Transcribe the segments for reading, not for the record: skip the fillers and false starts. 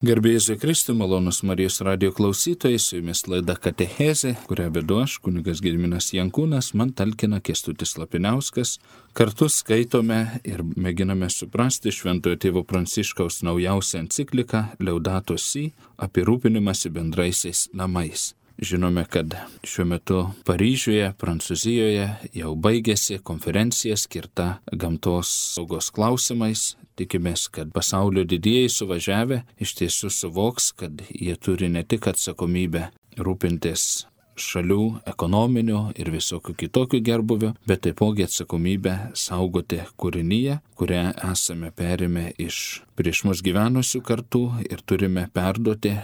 Garbė Jėzui Kristui, malonus Marijos radijo klausytojai, su jumis laida Katechezė, kurią vedu aš, kunigas Gediminas Jankūnas, man talkina Kęstutis Lapiniauskas. Kartu skaitome ir mėginame suprasti Šventojo tėvo Pranciškaus naujausią encikliką Laudato Si apie rūpinimąsi bendraisiais namais. Žinome, kad šiuo metu Paryžiuje, Prancūzijoje jau baigėsi konferencija skirta gamtos saugos klausimais. Tikimės, kad pasaulio didieji suvažiavę iš tiesų suvoks, kad jie turi ne tik atsakomybę rūpintis šalių ekonominių ir visokių kitokių gerbuvio, bet taipogi atsakomybę saugoti kūrinyje, kurią esame perėmę iš prieš mus gyvenusių kartų ir turime perduoti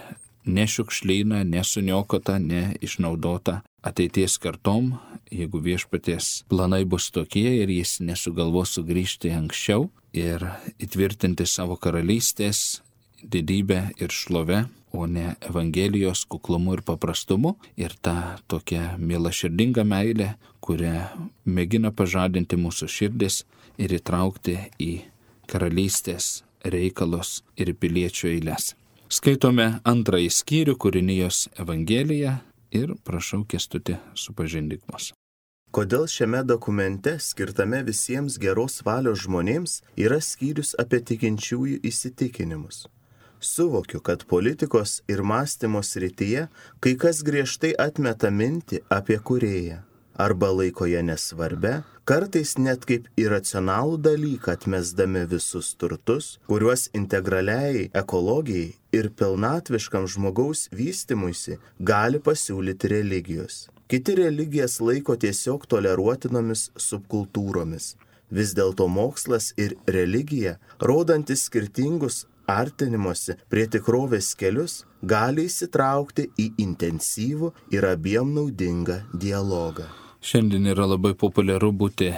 nešiukšlyną, nesuniokotą, neišnaudotą ateities kartom, jeigu viešpaties planai bus tokie ir jis nesugalvos sugrįžti anksčiau ir įtvirtinti savo karalystės didybę ir šlovę, o ne Evangelijos kuklumu ir paprastumu ir tą tokią mielaširdingą meilę, kurią mėgina pažadinti mūsų širdis ir įtraukti į karalystės reikalus ir piliečių eiles. Skaitome antrąjį skyrių kūrinijos Evangeliją ir prašau Kęstutį supažindink mus. Kodėl šiame dokumente, skirtame visiems geros valios žmonėms, yra skyrius apie tikinčiųjų įsitikinimus? Suvokiu, kad politikos ir mąstymo srityje kai kas griežtai atmeta mintį apie kūrėją. Arba laiko ją nesvarbia, kartais net kaip iracionalų dalyką atmesdami visus turtus, kuriuos integraliai ekologijai ir pilnatviškam žmogaus vystymuisi gali pasiūlyti religijos. Kiti religijas laiko tiesiog toleruotinomis subkultūromis. Vis dėlto mokslas ir religija, rodantis skirtingus artinimosi prie tikrovės kelius, gali įsitraukti į intensyvų ir abiem naudingą dialogą. Šiandien yra labai populiaru būti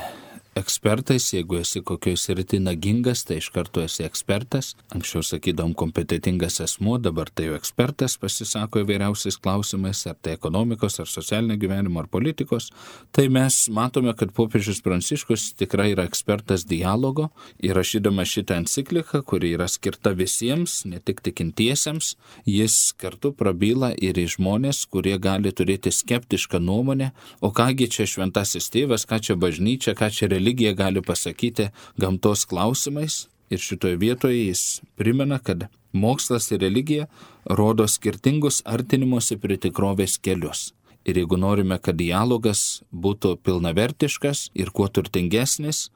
ekspertais, jeigu esi kokioj srity nagingas, tai iš karto esi ekspertas. Anksčiau sakydom kompetentingas asmuo, dabar tai jau ekspertas pasisako įvairiausiais klausimais, ar tai ekonomikos, ar socialinio gyvenimo, ar politikos. Tai mes matome, kad popiežius Pranciškus tikrai yra ekspertas dialogo ir rašydamas šitą encikliką, kuri yra skirta visiems, ne tik tikintiesiems, jis kartu prabyla ir į žmonės, kurie gali turėti skeptišką nuomonę, o kągi čia šventasis tėvas, ką čia bažnyčia, ką čia religija gali pasakyti gamtos klausimais. Ir šitoje vietoje jis primena, kad mokslas ir religija rodo skirtingus artinimosi prie tikrovės kelius. Ir jeigu norime, kad dialogas būtų pilnavertiškas ir kuo turtingesnis,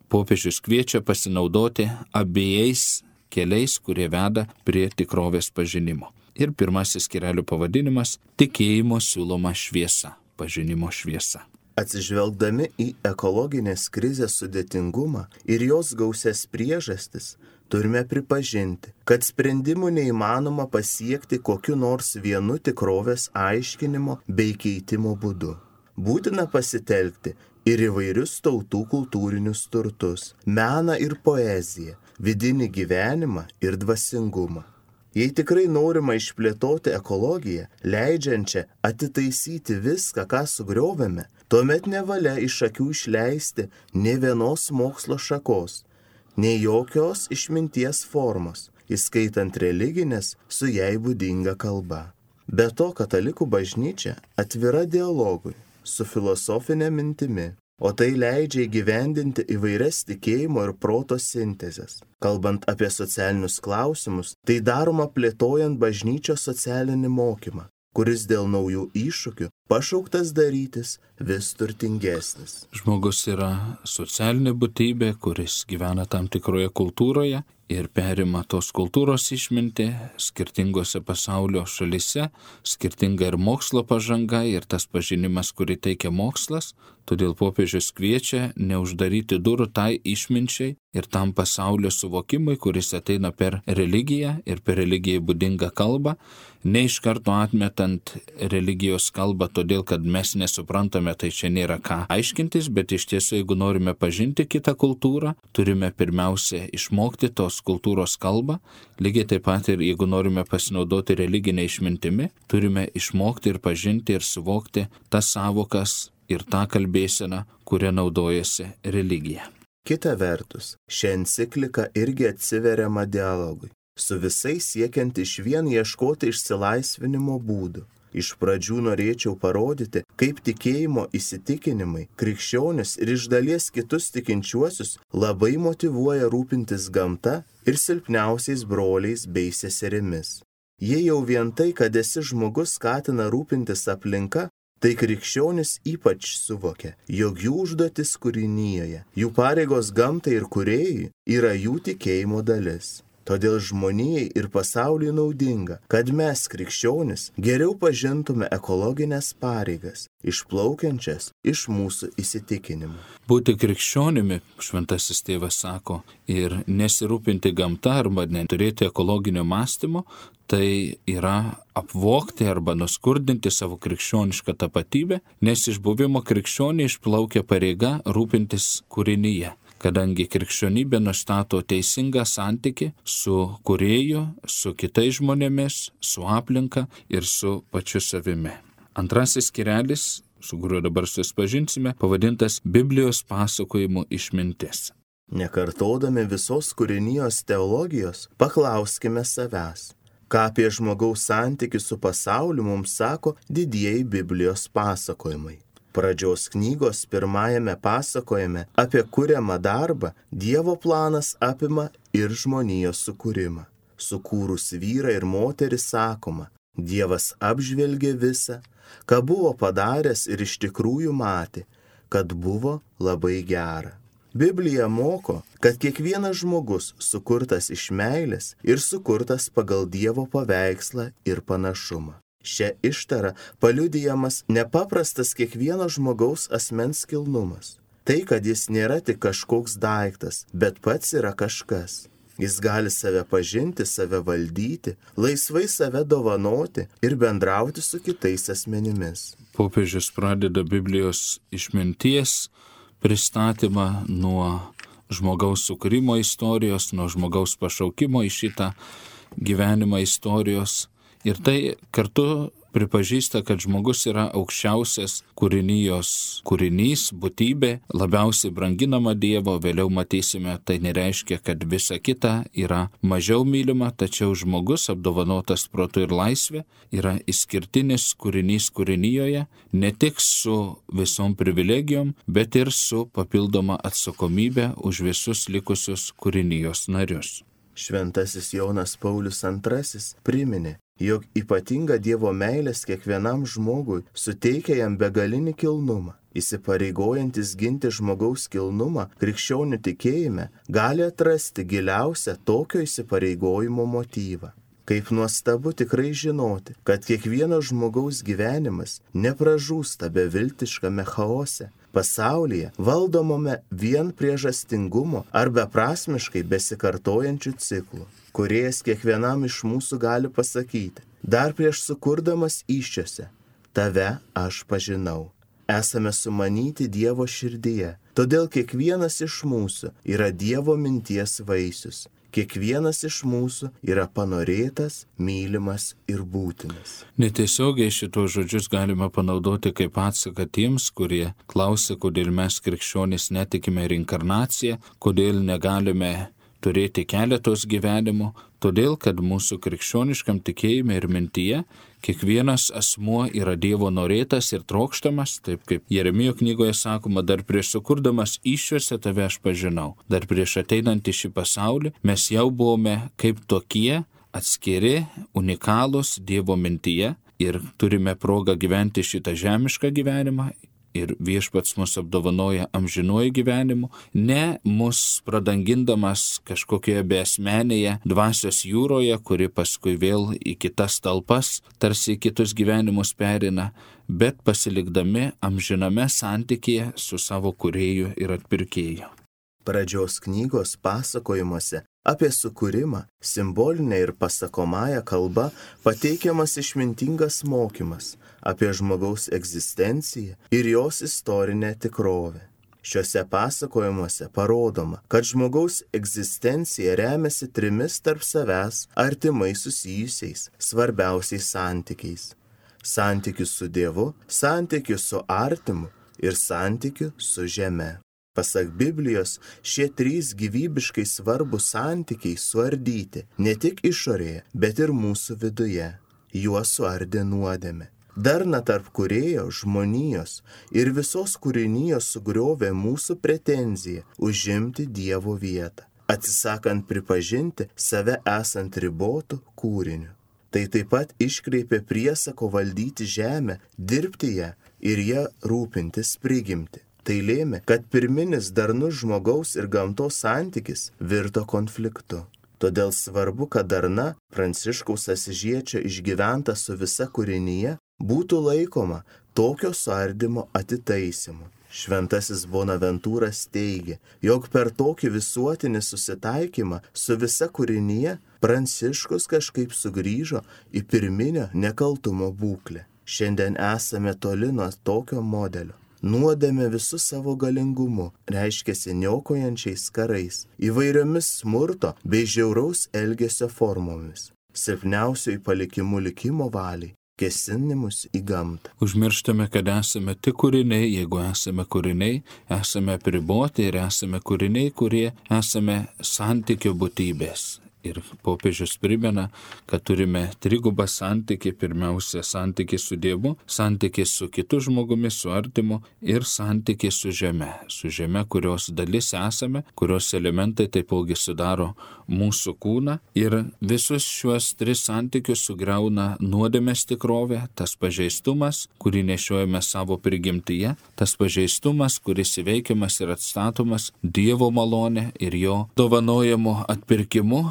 popiežius kviečia pasinaudoti abiejais keliais, kurie veda prie tikrovės pažinimo. Ir pirmasis skyrelio pavadinimas – tikėjimo siūloma šviesa, pažinimo šviesa. Atsižvelgdami į ekologinės krizės sudėtingumą ir jos gausias priežastis, turime pripažinti, kad sprendimų neįmanoma pasiekti kokiu nors vienu tikrovės aiškinimo bei keitimo būdu. Būtina pasitelkti ir įvairius tautų kultūrinius turtus, meną ir poeziją, vidinį gyvenimą ir dvasingumą. Jei tikrai norima išplėtoti ekologiją, leidžiančią atitaisyti viską, ką sugriovėme, tuomet nevalia iš akių išleisti nė vienos mokslo šakos, nei jokios išminties formos, įskaitant religinės su jai būdinga kalba. Be to, katalikų bažnyčia atvira dialogui su filosofinė mintimi, o tai leidžia įgyvendinti įvairias tikėjimo ir proto sintezes. Kalbant apie socialinius klausimus, tai daroma plėtojant bažnyčios socialinį mokymą, kuris dėl naujų iššūkių pašauktas darytis vis turtingesnis. Žmogus yra socialinė būtybė, kuris gyvena tam tikroje kultūroje ir perima tos kultūros išmintį skirtingose pasaulio šalise, skirtinga ir mokslo pažanga ir tas pažinimas, kurį teikia mokslas. Todėl popiežius kviečia neuždaryti durų tai išminčiai ir tam pasaulio suvokimui, kuris ateina per religiją ir per religijai būdingą kalbą, ne iš karto atmetant religijos kalbą, todėl kad mes nesuprantame, tai čia nėra ką aiškintis, bet iš tiesų, jeigu norime pažinti kitą kultūrą, turime pirmiausia išmokti tos kultūros kalbą. Lygiai taip pat ir jeigu norime pasinaudoti religinę išmintimi, turime išmokti ir pažinti ir suvokti tas savokas ir tą kalbėseną, kuria naudojasi religija. Kita vertus, ši enciklika irgi atsiveriama dialogui. su visais siekiant išvien ieškoti išsilaisvinimo būdų. Iš pradžių norėčiau parodyti, kaip tikėjimo įsitikinimai krikščionis ir iš dalies kitus tikinčiuosius labai motyvuoja rūpintis gamta ir silpniausiais broliais bei seserimis. Jei jau vien tai, kad esi žmogus, skatina rūpintis aplinka, tai krikščionis ypač suvokia, jog jų užduotis kūrinyje, jų pareigos gamtai ir kūrėjui yra jų tikėjimo dalis. Todėl žmonijai ir pasauliui naudinga, kad mes, krikščionis, geriau pažintume ekologinės pareigas, išplaukiančias iš mūsų įsitikinimų. Būti krikščionimi, šventasis tėvas sako, ir nesirūpinti gamta arba neturėti ekologinio mąstymo, tai yra apvogti arba nuskurdinti savo krikščionišką tapatybę, nes iš buvimo krikščionį išplaukia pareiga rūpintis kūrinyje. Kadangi krikščionybė nustato teisingą santykį su kūrėju, su kitais žmonėmis, su aplinka ir su pačiu savimi. Antrasis skyrelis, su kuriuo dabar susipažinsime, pavadintas Biblijos pasakojimų išmintis. Nekartodami visos kūrinijos teologijos, paklauskime savęs, ką apie žmogaus santykių su pasauliu mums sako didieji Biblijos pasakojimai. Pradžios knygos pirmajame pasakojime apie kuriamą darbą Dievo planas apima ir žmonijos sukūrimą. Sukūrus vyrą ir moterį sakoma, Dievas apžvelgė visą, ką buvo padaręs ir iš tikrųjų matė, kad buvo labai gera. Biblija moko, kad kiekvienas žmogus sukurtas iš meilės ir sukurtas pagal Dievo paveikslą ir panašumą. Šia ištara paliudijamas nepaprastas kiekvieno žmogaus asmens kilnumas. Tai, kad jis nėra tik kažkoks daiktas, bet pats yra kažkas. Jis gali save pažinti, save valdyti, laisvai save dovanoti ir bendrauti su kitais asmenimis. Popiežius pradeda Biblijos išminties pristatymą nuo žmogaus sukūrimo istorijos, nuo žmogaus pašaukimo į šitą gyvenimą istorijos. Ir tai kartu pripažįsta, kad žmogus yra aukščiausias kūrinijos kūrinys, būtybė, labiausiai branginama Dievo. Vėliau matysime, tai nereiškia, kad visa kita yra mažiau mylima, tačiau žmogus apdovanotas protu ir laisvė yra išskirtinis kūrinys kūrinijoje, ne tik su visom privilegijom, bet ir su papildoma atsakomybė už visus likusius kūrinijos narius. Šventasis Jonas Paulius II priminė, jog ypatinga Dievo meilės kiekvienam žmogui suteikia jam begalinį kilnumą. Įsipareigojantis ginti žmogaus kilnumą krikščionių tikėjime gali atrasti giliausią tokio įsipareigojimo motyvą. Kaip nuostabu tikrai žinoti, kad kiekvieno žmogaus gyvenimas nepražūsta beviltiškame chaose, pasaulyje valdomame vien priežastingumo ar beprasmiškai besikartojančių ciklų. Kūrėjas kiekvienam iš mūsų gali pasakyti, dar prieš sukurdamas įsčiose, tave aš pažinau. Esame sumanyti Dievo širdyje, todėl kiekvienas iš mūsų yra Dievo minties vaisius. Kiekvienas iš mūsų yra panorėtas, mylimas ir būtinas. Netiesiogiai šitos žodžius galima panaudoti kaip atsaką tiems, kurie klausia, kodėl mes krikščionys netikime reinkarnaciją, kodėl negalime turėti keletos gyvenimų, todėl, kad mūsų krikščioniškam tikėjime ir mintyje kiekvienas asmuo yra Dievo norėtas ir trokštamas, taip kaip Jeremijo knygoje sakoma, dar prieš sukurdamas įsčiose tave aš pažinau. Dar prieš ateinant į šį pasaulį mes jau buvome kaip tokie atskiri, unikalūs Dievo mintyje ir turime progą gyventi šitą žemišką gyvenimą. Ir viešpats mus apdovanoja amžinuoju gyvenimu, ne mus pradangindamas kažkokioje beasmenėje dvasios jūroje, kuri paskui vėl į kitas talpas, tarsi į kitus gyvenimus perina, bet pasilikdami amžiname santykyje su savo kūrėju ir atpirkėju. Pradžios knygos pasakojimuose apie sukūrimą, simbolinė ir pasakomąja kalba pateikiamas išmintingas mokymas apie žmogaus egzistenciją ir jos istorinę tikrovę. Šiuose pasakojimuose parodoma, kad žmogaus egzistencija remiasi trimis tarp savęs artimai susijusiais svarbiausiais santykiais. Santykius su Dievu, santykius su artimu ir santykiu su žeme. Pasak Biblijos, šie 3 gyvybiškai svarbus santykiai suardyti ne tik išorėje, bet ir mūsų viduje. Juos suardė nuodėmė. Darna tarp kūrėjo, žmonijos ir visos kūrinijos sugriovė mūsų pretenziją užimti Dievo vietą, atsisakant pripažinti save esant ribotų kūriniu. Tai taip pat iškreipė priesako valdyti žemę, dirbti ją ir ją rūpintis prigimti. Tai lėmė, kad pirminis darnus žmogaus ir gamtos santykis virto konfliktu. Todėl svarbu, kad darna, Pranciškaus Asyžiečio išgyventa su visa kūrinyje, būtų laikoma tokio suardymo atitaisymu. Šventasis Bonaventūras teigia, jog per tokį visuotinį susitaikymą su visa kūrinyje Pranciškus kažkaip sugrįžo į pirminio nekaltumo būklę. Šiandien esame toli nuo tokio modelio. Nuodėmė visų savo galingumu reiškiasi niokojančiais karais, įvairiomis smurto bei žiauraus elgesio formomis, silpniausiųjų palikimų likimo valiai, kėsinimus į gamtą. Užmirštame, kad esame tik kūriniai, jeigu esame kūriniai, esame apriboti ir esame kūriniai, kurie esame santykio būtybės. Ir popiežius primena, kad turime trigubą santykį, pirmiausia santykį su Dievu, santykį su kitu žmogumi, su artimu ir santykį su žeme, kurios dalis esame, kurios elementai taipogi sudaro mūsų kūną. Ir visus šiuos 3 santykius sugriauna nuodėmės tikrovė, tas pažeistumas, kurį nešiojame savo prigimtyje, tas pažeistumas, kuris įveikiamas ir atstatomas Dievo malonė ir jo dovanojimo atpirkimu,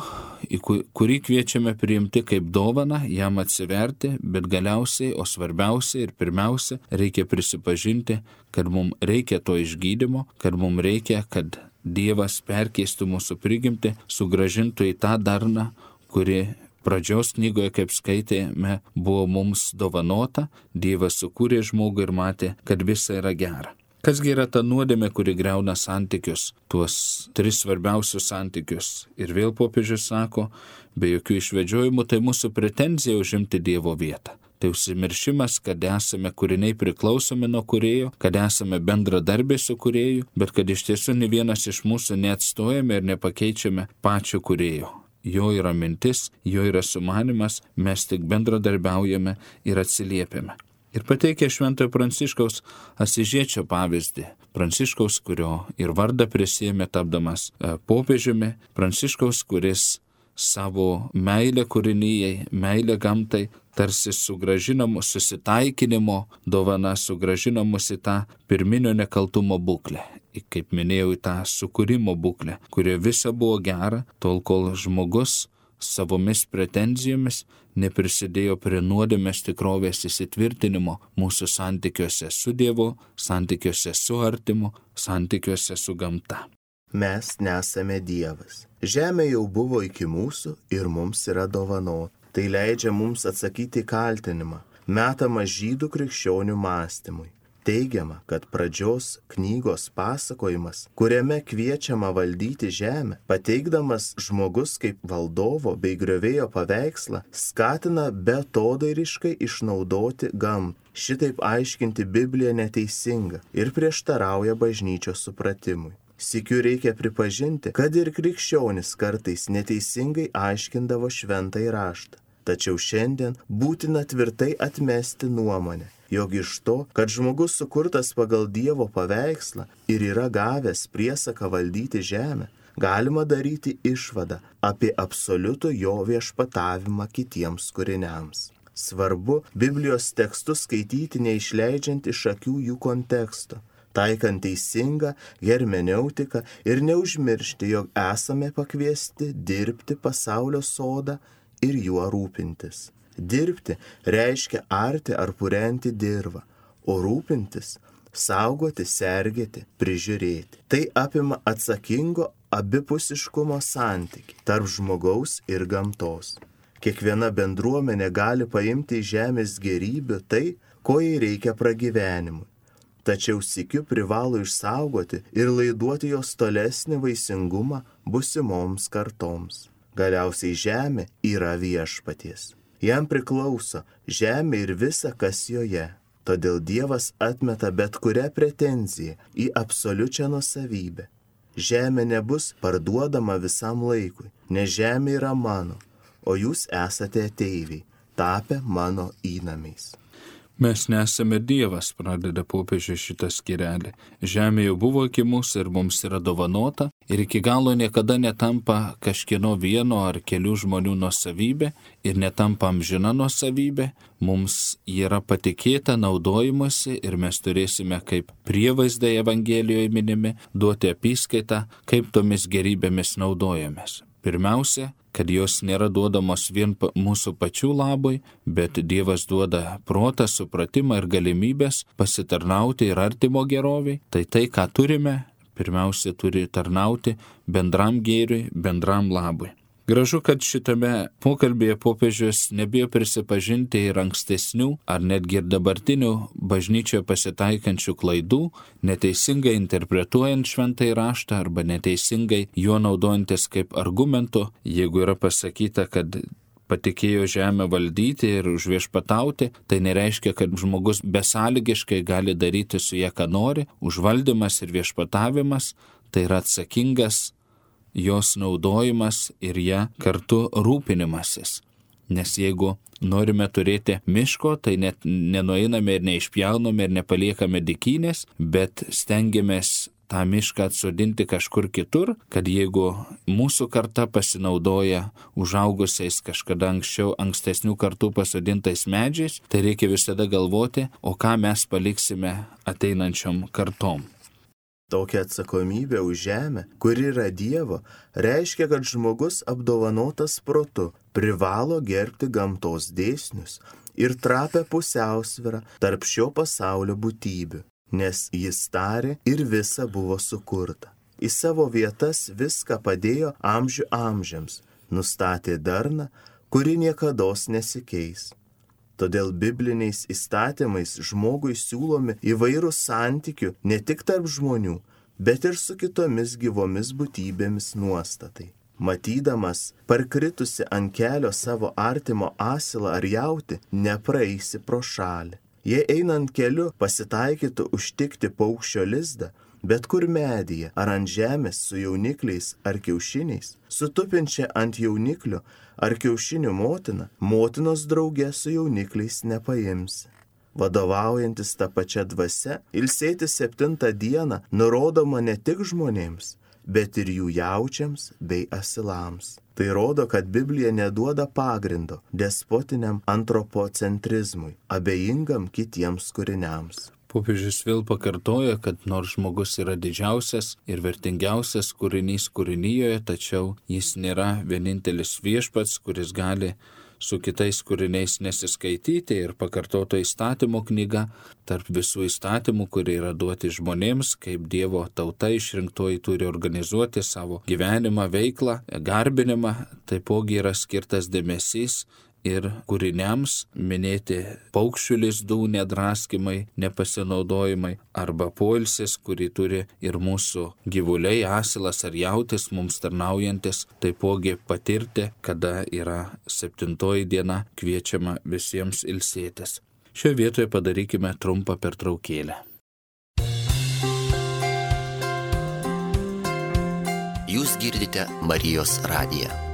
į kurį kviečiame priimti kaip dovaną, jam atsiverti, bet galiausiai, o svarbiausia ir pirmiausia, reikia prisipažinti, kad mums reikia to išgydymo, kad mums reikia, kad Dievas perkeistų mūsų prigimtį, sugrąžintų į tą darną, kuri pradžios knygoje, kaip skaitėme, buvo mums dovanota. Dievas sukūrė žmogų ir matė, kad visa yra gera. Kasgi yra ta nuodėmė, kuri griauna santykius, tuos 3 svarbiausius santykius? Ir vėl popiežius sako, be jokių išvedžiojimų, tai mūsų pretenzija užimti Dievo vietą. Tai užsimiršimas, kad esame kūriniai priklausomi nuo kūrėjo, kad esame bendradarbiai su kūrėju, bet kad iš tiesų ne vienas iš mūsų neatstojame ir nepakeičiame pačio kūrėjo. Jo yra mintis, jo yra sumanimas, mes tik bendradarbiaujame ir atsiliepiame. Ir pateikia Šventojo Pranciškaus Asyžiečio pavyzdį. Pranciškaus, kurio ir vardą prisiėmė tapdamas popiežiumi. Pranciškaus, kuris savo meilę kūrinijai, meilę gamtai, tarsi sugrąžinamo susitaikinimo dovana, sugrąžinamus į tą pirminio nekaltumo būklę. Kaip minėjau, į tą sukūrimo būklę, kurioje visa buvo gera, tol kol žmogus savomis pretenzijomis neprisidėjo prie nuodėmės tikrovės įsitvirtinimo mūsų santykiuose su Dievu, santykiuose su artimu, santykiuose su gamta. Mes nesame Dievas. Žemė jau buvo iki mūsų ir mums yra dovanota. Tai leidžia mums atsakyti į kaltinimą, metamą žydų krikščionių mąstymui. Teigiama, kad pradžios knygos pasakojimas, kuriame kviečiama valdyti žemę, pateikdamas žmogus kaip valdovo bei griovėjo paveikslą, skatina beatodairiškai išnaudoti gamtą. Šitaip aiškinti Bibliją neteisinga ir prieštarauja bažnyčios supratimui. Sykiu reikia pripažinti, kad ir krikščionis kartais neteisingai aiškindavo šventąjį raštą. Tačiau šiandien būtina tvirtai atmesti nuomonę, jog iš to, kad žmogus sukurtas pagal Dievo paveikslą ir yra gavęs priesaką valdyti žemę, galima daryti išvadą apie absoliutų jo viešpatavimą kitiems kūriniams. Svarbu Biblijos tekstus skaityti neišleidžiant iš akių jų konteksto, taikant teisingą hermeneutiką ir neužmiršti, jog esame pakviesti dirbti pasaulio sodą ir juo rūpintis. Dirbti reiškia arti ar purenti dirvą, o rūpintis – saugoti, sergėti, prižiūrėti. Tai apima atsakingo abipusiškumo santykį tarp žmogaus ir gamtos. Kiekviena bendruomenė gali paimti iš žemės gėrybių tai, ko jai reikia pragyvenimui. Tačiau sykiu privalo išsaugoti ir laiduoti jos tolesnį vaisingumą busimoms kartoms. Galiausiai žemė yra viešpaties. Jam priklauso žemė ir visa, kas joje. Todėl Dievas atmeta bet kurią pretenziją į absoliučią nuosavybę. Žemė nebus parduodama visam laikui, nes žemė yra mano, o jūs esate ateiviai, tapę mano įnamiais. Mes nesame Dievas, pradeda popiežius šitą skyrelį. Žemė jau buvo iki mūsų ir mums yra dovanota ir iki galo niekada netampa kažkieno vieno ar kelių žmonių nuosavybė ir netampa amžina nuosavybė. Mums yra patikėta naudojimuose ir mes turėsime kaip prievaizdai Evangelijoje minimi duoti apyskaitą, kaip tomis gerybėmis naudojamės. Pirmiausia, kad jos nėra duodamos vien mūsų pačių labui, bet Dievas duoda protą, supratimą ir galimybės pasitarnauti ir artimo geroviai. Tai, ką turime, pirmiausia turi tarnauti bendram gėriui, bendram labui. Gražu, kad šitame pokalbėje popiežius nebijo prisipažinti ir ankstesnių, ar netgi ir dabartinių bažnyčioje pasitaikančių klaidų, neteisingai interpretuojant šventąjį raštą arba neteisingai juo naudojantis kaip argumentu, jeigu yra pasakyta, kad patikėjo žemę valdyti ir užviešpatauti, tai nereiškia, kad žmogus besąlygiškai gali daryti su ja, ką nori. Užvaldymas ir viešpatavimas tai yra atsakingas jos naudojimas ir ją kartu rūpinimasis. Nes jeigu norime turėti miško, tai net nenueiname ir neišpjauname ir nepaliekame dykynės, bet stengiamės tą mišką atsodinti kažkur kitur, kad jeigu mūsų karta pasinaudoja užaugusiais kažkada anksčiau ankstesnių kartų pasodintais medžiais, tai reikia visada galvoti, o ką mes paliksime ateinančiom kartom. Tokia atsakomybė už žemę, kuri yra Dievo, reiškia, kad žmogus apdovanotas protu privalo gerbti gamtos dėsnius ir trapę pusiausvyrą tarp šio pasaulio būtybių, nes jis tarė ir visa buvo sukurta. Į savo vietas viską padėjo amžių amžiams, nustatė darną, kuri niekados nesikeis. Todėl bibliniais įstatymais žmogui siūlomi įvairūs santykių ne tik tarp žmonių, bet ir su kitomis gyvomis būtybėmis nuostatai. Matydamas parkritusi ant kelio savo artimo asilą ar jautį, nepraeisi pro šalį. Jei einant keliu pasitaikytų užtikti paukščio lizdą, bet kur medyje ar ant žemės su jaunikliais ar kiaušiniais, sutupinčia ant jauniklio ar kiaušinių motina, motinos drauge su jaunikliais nepaimsi. Vadovaujantis tą pačią dvasią, ilsėti 7 dieną nurodoma ne tik žmonėms, bet ir jų jaučiams bei asilams. Tai rodo, kad Biblija neduoda pagrindo despotiniam antropocentrizmui, abejingam kitiems kūriniams. Popiežius vėl pakartoja, kad nors žmogus yra didžiausias ir vertingiausias kūrinys kūrinyjoje, tačiau jis nėra vienintelis viešpats, kuris gali su kitais kūriniais nesiskaityti, ir pakartoto įstatymo knyga tarp visų įstatymų, kurie yra duoti žmonėms, kaip Dievo tauta išrinktoji turi organizuoti savo gyvenimą, veiklą, garbinimą, taipogi yra skirtas dėmesys ir kūriniams minėti paukščių lizdų nedraskymai, nepasinaudojimai arba poilsis, kurį turi ir mūsų gyvuliai, asilas ar jautis mums tarnaujantis, taipogi patirti, kada yra 7 diena, kviečiama visiems ilsėtis. Šioje vietoje padarykime trumpą pertraukėlę. Jūs girdite Marijos radiją.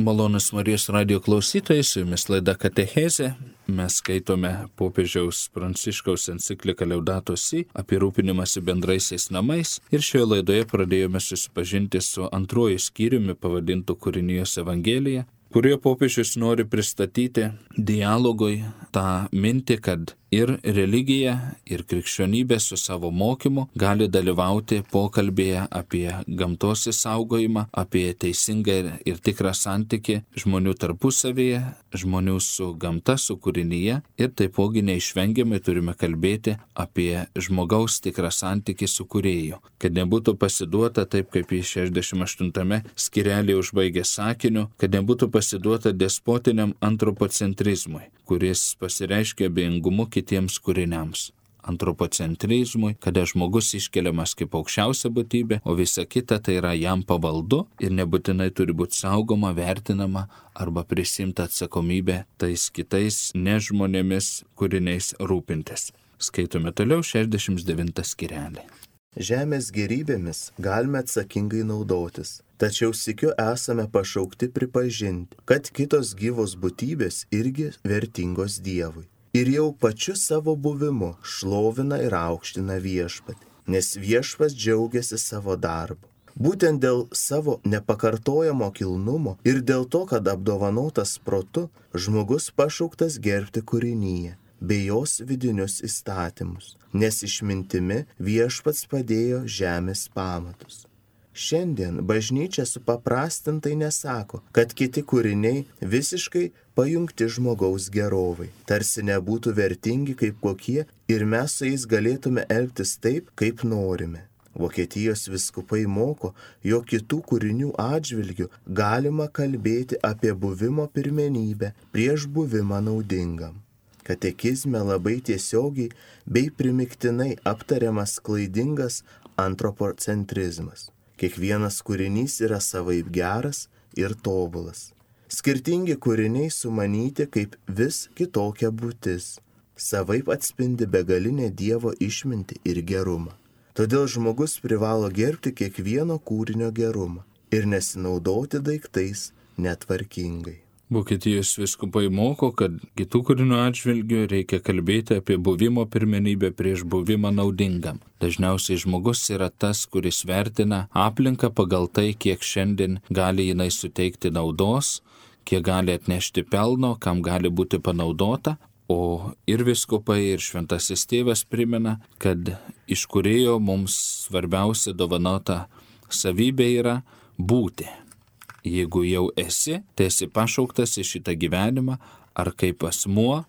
Malonus Marijos radijo klausytojai, su jumis laida Katechezė. Mes skaitome popiežiaus Pranciškaus encikliką Laudato Si apie rūpinimąsi bendraisiais namais ir šioje laidoje pradėjome susipažinti su antruoju skyriumi pavadintu Kūrinijos Evangelija, kurioje popiežius nori pristatyti dialogui tą mintį, kad ir religija, ir krikščionybė su savo mokymu gali dalyvauti pokalbėje apie gamtos išsaugojimą, apie teisingą ir tikrą santykį žmonių tarpusavėje, žmonių su gamta, su kūrinyje ir taipogi neišvengiamai turime kalbėti apie žmogaus tikrą santykį su kūrėju, kad nebūtų pasiduota taip, kaip į 68 skyrelį užbaigė sakiniu, kad nebūtų pasiduota despotiniam antropocentrizmui, kuris pasireiškia abejingumu kitiems kūriniams. Antropocentrizmui, kada žmogus iškeliamas kaip aukščiausia būtybė, o visa kita tai yra jam pavaldu ir nebūtinai turi būti saugoma, vertinama arba prisimta atsakomybė tais kitais nežmonėmis kūriniais rūpintis. Skaitome toliau 69 skyrelį. Žemės gėrybėmis galime atsakingai naudotis, tačiau sykiu esame pašaukti pripažinti, kad kitos gyvos būtybės irgi vertingos Dievui. Ir jau pačiu savo buvimu šlovina ir aukština viešpatį, nes viešpats džiaugiasi savo darbu. Būtent dėl savo nepakartojamo kilnumo ir dėl to, kad apdovanotas protu, žmogus pašauktas gerbti kūrinyje bei jos vidinius įstatymus, nes išmintimi viešpats padėjo žemės pamatus. Šiandien bažnyčia supaprastintai nesako, kad kiti kūriniai visiškai pajungti žmogaus gerovai, tarsi nebūtų vertingi kaip kokie ir mes su jais galėtume elgtis taip, kaip norime. Vokietijos vyskupai moko, jog kitų kūrinių atžvilgių galima kalbėti apie buvimo pirmenybę prieš buvimą naudingam. Katekizme labai tiesiogiai bei primiktinai aptariamas klaidingas antropocentrizmas. Kiekvienas kūrinys yra savaip geras ir tobulas. Skirtingi kūriniai sumanyti kaip vis kitokia būtis. Savaip atspindi begalinę Dievo išmintį ir gerumą. Todėl žmogus privalo gerbti kiekvieno kūrinio gerumą ir nesinaudoti daiktais netvarkingai. Vokietijos vyskupai moko, kad kitų kūrinių atžvilgių reikia kalbėti apie buvimo pirmenybę prieš buvimą naudingam. Dažniausiai žmogus yra tas, kuris vertina aplinką pagal tai, kiek šiandien gali jinai suteikti naudos, kiek gali atnešti pelno, kam gali būti panaudota. O ir vyskupai, ir šventasis tėvas primena, kad iš kūrėjo mums svarbiausia dovanota savybė yra būti. Jeigu jau esi, tai esi pašauktas į šitą gyvenimą, ar kaip asmuo,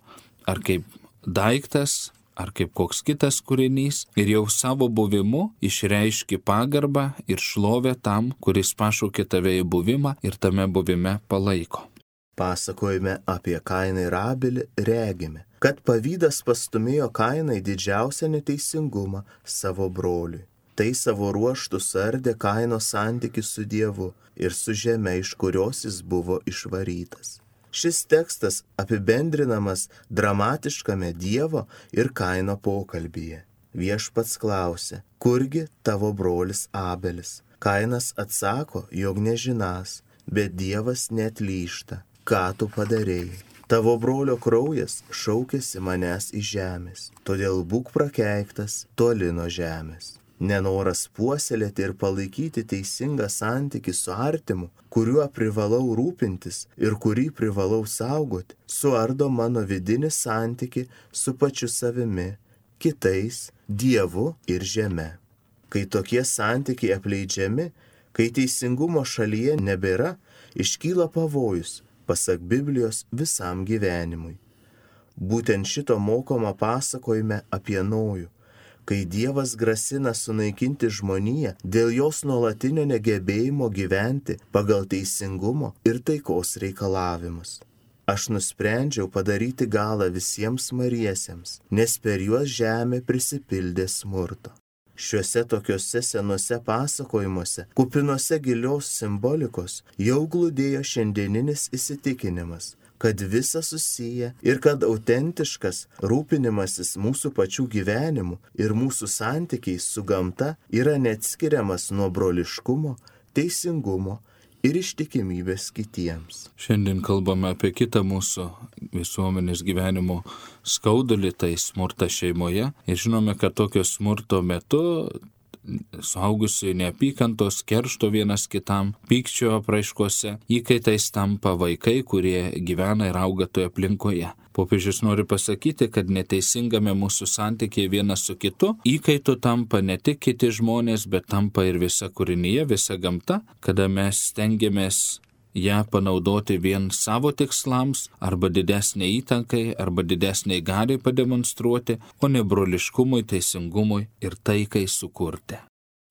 ar kaip daiktas, ar kaip koks kitas kūrinys, ir jau savo buvimu išreiški pagarbą ir šlovę tam, kuris pašaukė tave į buvimą ir tame buvime palaiko. Pasakojime apie Kainą ir Abelį regime, kad pavydas pastumėjo Kainą į didžiausią neteisingumą savo broliui. Tai savo ruožtų suardė Kaino santykį su Dievu ir su žeme, iš kurios jis buvo išvarytas. Šis tekstas apibendrinamas dramatiškame Dievo ir Kaino pokalbyje. Viešpats klausia, kurgi tavo brolis Abelis? Kainas atsako, jog nežinąs, bet Dievas neatlyžta. Ką tu padarėjai? Tavo brolio kraujas šaukėsi manęs iš žemės, todėl būk prakeiktas toli nuo žemės. Nenoras puoselėti ir palaikyti teisingą santykį su artimu, kuriuo privalau rūpintis ir kurį privalau saugoti, suardo mano vidinį santykį su pačiu savimi, kitais, Dievu ir žeme. Kai tokie santykiai apleidžiami, kai teisingumo šalyje nebėra, iškyla pavojus, pasak Biblijos, visam gyvenimui. Būtent šito mokoma pasakojime apie Nojų, kai Dievas grasina sunaikinti žmoniją dėl jos nuolatinio negebėjimo gyventi pagal teisingumo ir taikos reikalavimus. Aš nusprendžiau padaryti galą visiems mariesiems, nes per juos žemė prisipildė smurto. Šiuose tokiuose senuose pasakojimuose, kupinuose gilios simbolikos, jau glūdėjo šiandieninis įsitikinimas, kad visa susiję ir kad autentiškas rūpinimasis mūsų pačių gyvenimu ir mūsų santykiais su gamta yra neatskiriamas nuo broliškumo, teisingumo ir ištikimybės kitiems. Šiandien kalbame apie kitą mūsų visuomenės gyvenimo skaudulį, tai smurtą šeimoje. Ir žinome, kad tokio smurto metu suaugusiai neapykantos, keršto vienas kitam, pykčio apraiškose, įkaitais tampa vaikai, kurie gyvena ir auga toje aplinkoje. Popiežius nori pasakyti, kad neteisingame mūsų santykiai vienas su kitu įkaitu tampa ne tik kiti žmonės, bet tampa ir visa kūrinyje, visa gamta, kada mes stengiamės ją panaudoti vien savo tikslams, arba didesnė įtakai, arba didesniai galiai pademonstruoti, o ne broliškumui, teisingumui ir taikai sukurti.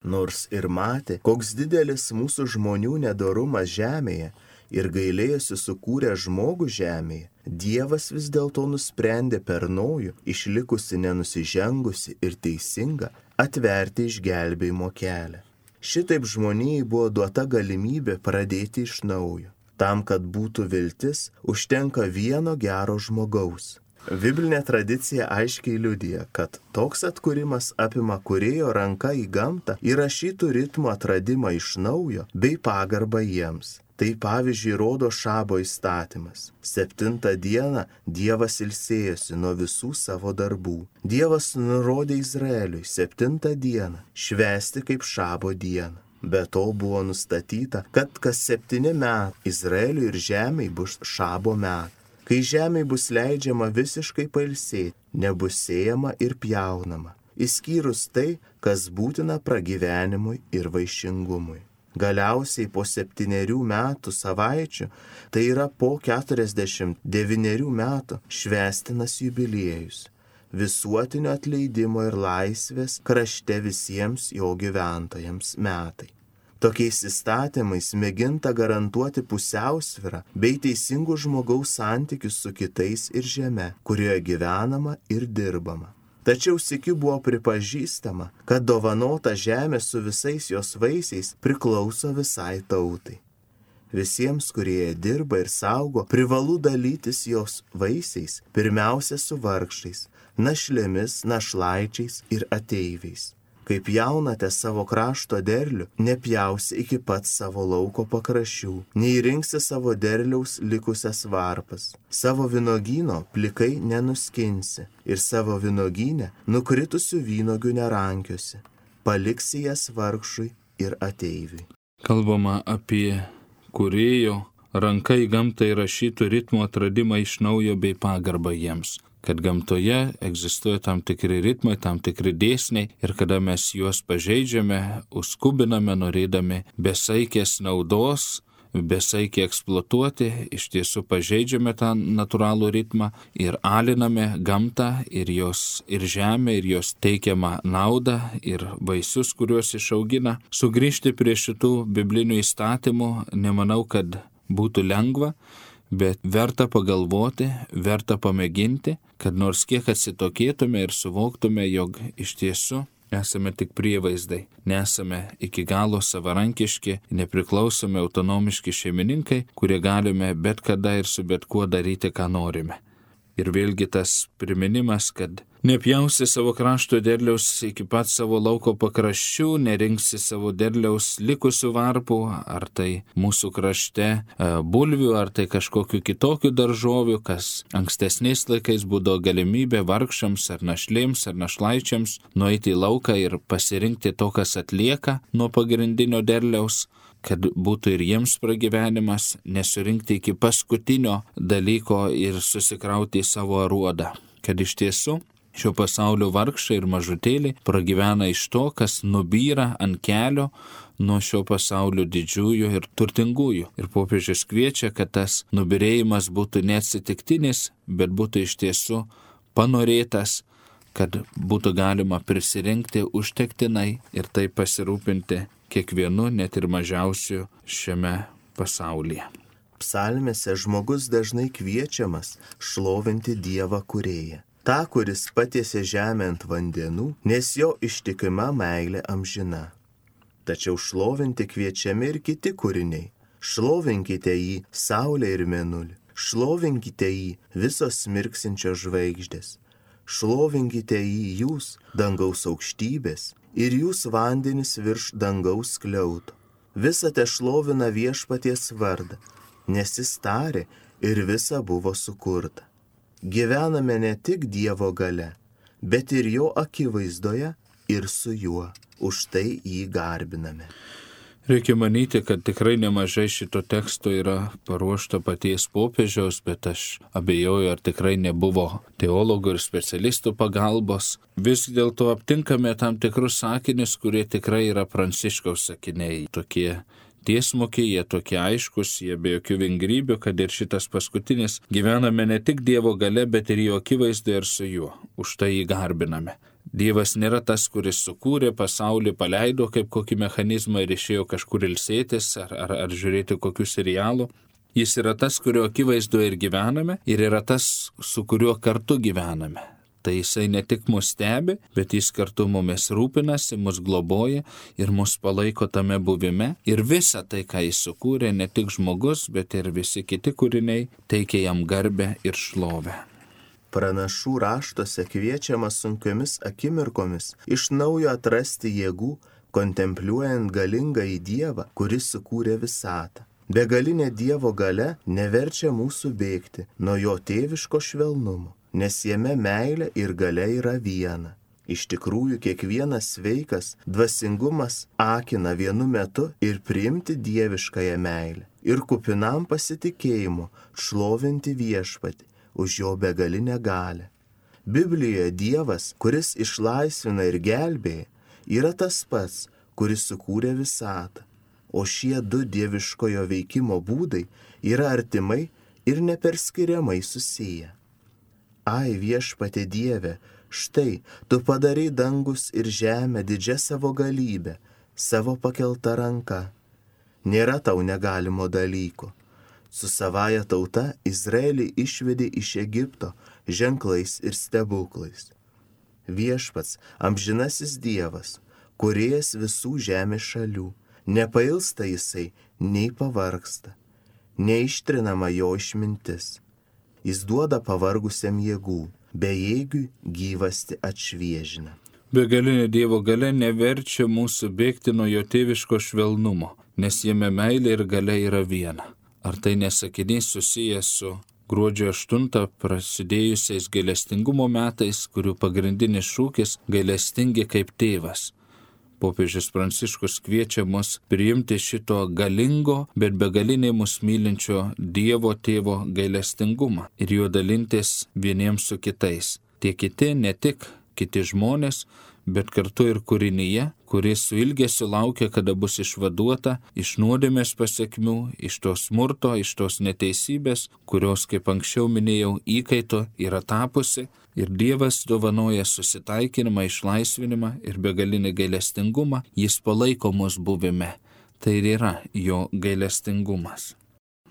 Nors ir matė, koks didelis mūsų žmonių nedorumas žemėje ir gailėjosi sukūrę žmogų žemėje, Dievas vis dėlto nusprendė per Nojų, išlikusi nenusižengusi ir teisinga, atverti išgelbėjimo kelią. Šitaip žmonijai buvo duota galimybė pradėti iš naujo. Tam, kad būtų viltis, užtenka vieno gero žmogaus. Biblinė tradicija aiškiai liudija, kad toks atkūrimas apima kūrėjo ranka į gamtą įrašytų ritmų atradimą iš naujo bei pagarbą jiems. Tai pavyzdžiui rodo Šabo įstatymas. 7 dieną Dievas ilsėjosi nuo visų savo darbų. Dievas nurodė Izraeliui 7 dieną švęsti kaip Šabo dieną. Be to buvo nustatyta, kad kas 7 metai Izraeliui ir žemei bus Šabo metai. Kai žemei bus leidžiama visiškai pailsėti, nebus sėjama ir pjaunama, išskyrus tai, kas būtina pragyvenimui ir vaišingumui. Galiausiai po 7 metų savaičių, tai yra po 49 metų, švęstinas jubiliejus, visuotinio atleidimo ir laisvės krašte visiems jo gyventojams metai. Tokiais įstatymais mėginta garantuoti pusiausvyrą bei teisingų žmogaus santykius su kitais ir žeme, kurioje gyvenama ir dirbama. Tačiau sykiu buvo pripažįstama, kad dovanota žemė su visais jos vaisiais priklauso visai tautai. Visiems, kurie dirba ir saugo, privalu dalytis jos vaisiais, pirmiausia su vargšais, našlėmis, našlaičiais ir ateiviais. Kaip jaunate savo krašto derlių, nepjausi iki pat savo lauko pakraščių, neįrinksi savo derliaus likusias varpas, savo vynogyno plikai nenuskinsi ir savo vynogyne nukritusių vynogių nerankiosi, paliksi jas vargšui ir ateiviui. Kalbama apie kūrėjo ranka į gamtą įrašytų ritmų atradimą iš naujo bei pagarbą jiems. Kad gamtoje egzistuoja tam tikri ritmai, tam tikri dėsniai ir kada mes juos pažeidžiame, užskubiname, norėdami besaikės naudos, besaikiai eksploatuoti, iš tiesų pažeidžiame tą natūralų ritmą ir aliname gamtą ir žemę, ir jos teikiamą naudą ir vaisius, kuriuos išaugina. Sugrįžti prie šitų biblinių įstatymų nemanau, kad būtų lengva, bet verta pagalvoti, verta pamėginti, kad nors kiek atsitokėtume ir suvoktume, jog iš tiesų esame tik prievaizdai, nesame iki galo savarankiški, nepriklausomi autonomiški šeimininkai, kurie galime bet kada ir su bet kuo daryti, ką norime. Ir vėlgi tas priminimas, kad nepjausi savo krašto derliaus iki pat savo lauko pakraščių, nerinksi savo derliaus likusių varpų, ar tai mūsų krašte bulvių, ar tai kažkokių kitokių daržovių, kas ankstesniais laikais būdavo galimybė vargšams ar našlėms ar našlaičiams nueiti į lauką ir pasirinkti to, kas atlieka nuo pagrindinio derliaus, kad būtų ir jiems pragyvenimas, nesurinkti iki paskutinio dalyko ir susikrauti į savo aruodą. Kad iš tiesų šio pasaulio vargšai ir mažutėliai pragyvena iš to, kas nubyra ant kelio nuo šio pasaulio didžiųjų ir turtingųjų. Ir popiežius kviečia, kad tas nubyrėjimas būtų neatsitiktinis, bet būtų iš tiesų panorėtas, kad būtų galima prisirinkti užtektinai ir taip pasirūpinti kiekvienu, net ir mažiausiu šiame pasaulyje. Psalmėse žmogus dažnai kviečiamas šlovinti Dievą kūrėją. Ta, kuris patiesė žemę ant vandenų, nes jo ištikima meilė amžina. Tačiau šlovinti kviečiami ir kiti kūriniai. Šlovinkite jį saulę ir mėnulį. Šlovinkite jį visos mirksinčios žvaigždės. Šlovinkite jį jūs, dangaus aukštybės, ir jūs vandenis virš dangaus skliauto. Visa te šlovina viešpaties vardą, nes jis tarė ir visa buvo sukurta. Gyvename ne tik Dievo gale, bet ir jo akivaizdoje ir su juo. Už tai jį garbiname. Reikia manyti, kad tikrai nemažai šito teksto yra paruošta paties popiežiaus, bet aš abejoju, ar tikrai nebuvo teologų ir specialistų pagalbos. Vis dėlto aptinkame tam tikrus sakinius, kurie tikrai yra Pranciškaus sakiniai. Tokie tiesmukiai, jie tokie aiškus, jie be jokių vingrybių, kad ir šitas paskutinis gyvename ne tik Dievo gale, bet ir jo akivaizdoje ir su juo. Už tai jį garbiname. Dievas nėra tas, kuris sukūrė pasaulį, paleido kaip kokį mechanizmą ir išėjo kažkur ilsėtis ar žiūrėti kokių serialų. Jis yra tas, kurio akivaizdoje ir gyvename, ir yra tas, su kuriuo kartu gyvename. Tai jisai ne tik mus stebi, bet jis kartu mumis rūpinasi, mus globoja ir mus palaiko tame buvime. Ir visa tai, ką jis sukūrė, ne tik žmogus, bet ir visi kiti kūriniai, teikia jam garbę ir šlovę. Pranašų raštuose kviečiama sunkiomis akimirkomis iš naujo atrasti jėgų, kontempliuojant galingą į Dievą, kuris sukūrė visatą. Begalinė Dievo galia neverčia mūsų bėgti nuo jo tėviško švelnumo, nes jame meilė ir galia yra viena. Iš tikrųjų, kiekvienas sveikas dvasingumas akina vienu metu ir priimti dieviškąją meilę ir kupinam pasitikėjimu šlovinti viešpatį už jo begalinę galią. Biblijoje Dievas, kuris išlaisvina ir gelbėja, yra tas pats, kuris sukūrė visatą, o šie du dieviškojo veikimo būdai yra artimai ir neperskiriamai susiję. Ai, viešpatie Dieve, štai tu padarai dangus ir žemę didžia savo galybę, savo pakelta ranka. Nėra tau negalimo dalyko. Su savaja tauta Izraelį išvedė iš Egipto ženklais ir stebuklais. Viešpats, amžinasis Dievas, kūrėjas visų žemės šalių, nepailsta jisai, nei pavargsta, neištrinama jo išmintis. Jis duoda pavargusiam jėgų, bejėgiui gyvasti atšviežina. Begalinė Dievo galia neverčia mūsų bėgti nuo jo tėviško švelnumo, nes jame meilė ir galia yra viena. Ar tai nesakinys susijęs su gruodžio 8 prasidėjusiais gailestingumo metais, kurių pagrindinis šūkis – gailestingi kaip tėvas. Popiežius Pranciškus kviečia mus priimti šito galingo, bet begaliniai mus mylinčio Dievo tėvo gailestingumą ir juo dalintis vieniems su kitais. Tie kiti ne tik kiti žmonės, bet kartu ir kūrinyje, kuris su ilgesiu laukia, kada bus išvaduota iš nuodėmės pasekmių, iš to smurto, iš tos neteisybės, kurios, kaip anksčiau minėjau, įkaito yra tapusi, ir Dievas dovanoja susitaikinimą, išlaisvinimą ir begalinį gailestingumą, jis palaiko mus buvime. Tai ir yra jo gailestingumas.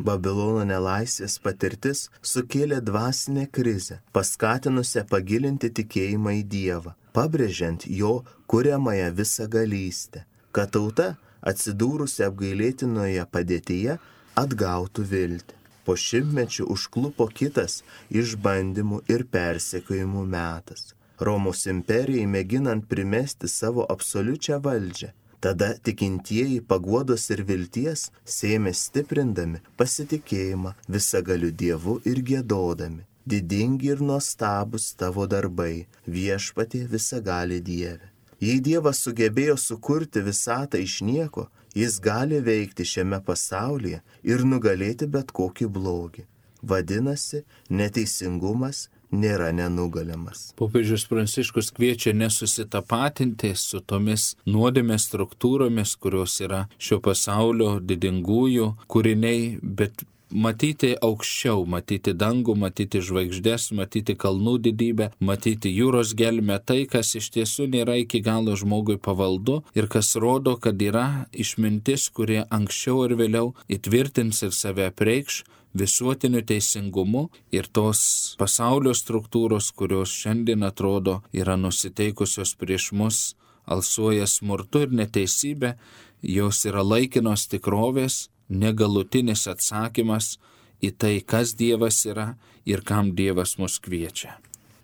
Babilono nelaisvės patirtis sukėlė dvasinę krizę, paskatinusią pagilinti tikėjimą į Dievą, pabrėžiant jo kuriamąją visagalystę, kad tauta, atsidūrusi apgailėtinoje padėtyje, atgautų viltį. Po šimtmečių užklupo kitas išbandymų ir persekiojimų metas. Romos imperijai mėginant primesti savo absoliučią valdžią. Tada tikintieji paguodos ir vilties sėmė stiprindami pasitikėjimą visagaliu Dievu ir giedodami. Didingi ir nuostabūs tavo darbai, viešpatie visagali Dieve. Jei Dievas sugebėjo sukurti visatą iš nieko, jis gali veikti šiame pasaulyje ir nugalėti bet kokį blogį. Vadinasi, neteisingumas nėra nenugalimas. Popiežius Pranciškus kviečia nesusitapatinti su tomis nuodėmės struktūromis, kurios yra šio pasaulio didingųjų kūriniai, bet matyti aukščiau, matyti dangų, matyti žvaigždės, matyti kalnų didybę, matyti jūros gelmę, tai, kas iš tiesų nėra iki galo žmogui pavaldu ir kas rodo, kad yra išmintis, kurie anksčiau ir vėliau įtvirtins ir save apreikš visuotiniu teisingumu, ir tos pasaulio struktūros, kurios šiandien atrodo yra nusiteikusios prieš mus, alsuoja smurtu ir neteisybė, jos yra laikinos tikrovės, negalutinis atsakymas į tai, kas Dievas yra ir kam Dievas mus kviečia.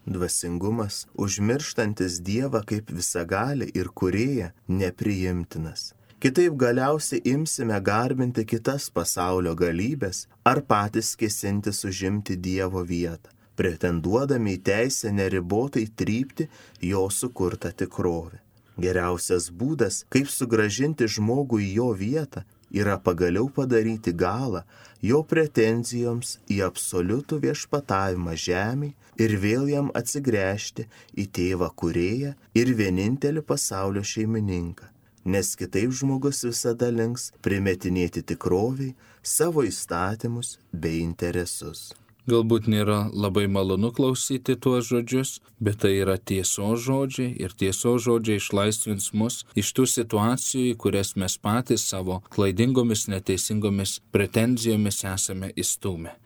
Dvasingumas, užmirštantis Dievą kaip visagalį ir kūrėją, nepriimtinas. Kitaip galiausiai imsime garbinti kitas pasaulio galybės ar patys kėsintis užimti Dievo vietą, pretenduodami į teisę neribotai trypti jo sukurtą tikrovę. Geriausias būdas, kaip sugrąžinti žmogų į jo vietą, yra pagaliau padaryti galą jo pretenzijoms į absoliutų viešpatavimą žemėj ir vėl jam atsigręžti į Tėvą Kūrėją ir vienintelį pasaulio šeimininką, nes kitaip žmogus visada links primetinėti tikroviai savo įstatymus bei interesus. Galbūt nėra labai malonu klausyti tuos žodžius, bet tai yra tiesos žodžiai ir tiesos žodžiai išlaisvins mus iš tų situacijų, į kurias mes patys savo klaidingomis, neteisingomis pretenzijomis esame įstūmę.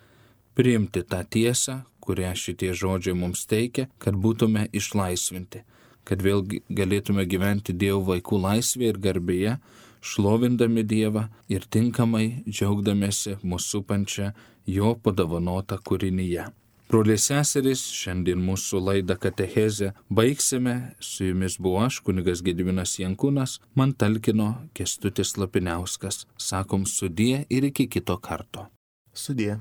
Priimti tą tiesą, kurią šitie žodžiai mums teikia, kad būtume išlaisvinti, kad vėl galėtume gyventi Dievo vaikų laisvėje ir garbėje, šlovindami Dievą ir tinkamai džiaugdamėsi mūsų supančią jo padovanotą kūrinyje. Broliai seserys, šiandien mūsų laidą Katechezę baigsime. Su jumis buvo aš, kunigas Gediminas Jankūnas, man talkino Kęstutis Lapiniauskas. Sakom sudie ir iki kito karto. Sudie.